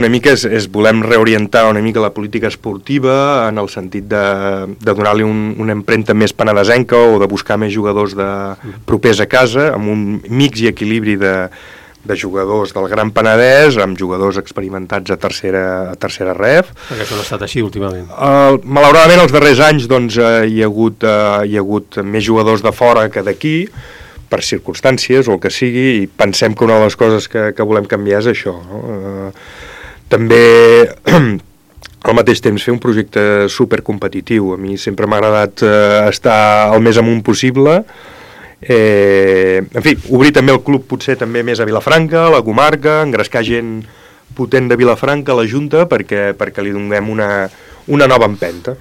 Una mica volem reorientar una mica la política esportiva en el sentit de donar-li una empremta més penedesenca o de buscar més jugadors propers a casa, amb un mix i equilibri de jugadors del Gran Penedès amb jugadors experimentats a tercera ref. Perquè això no ha estat així últimament. Malauradament els darrers anys doncs, hi ha hagut més jugadors de fora que d'aquí, per circumstàncies o el que sigui, i pensem que una de les coses que volem canviar és això, no? També al mateix temps fer un projecte supercompetitiu. A mi sempre m'ha agradat estar el més amunt possible. En fi, obrir també el club potser també més a Vilafranca, a la comarca, engrescar gent potent de Vilafranca a la Junta perquè li donem una nova empenta.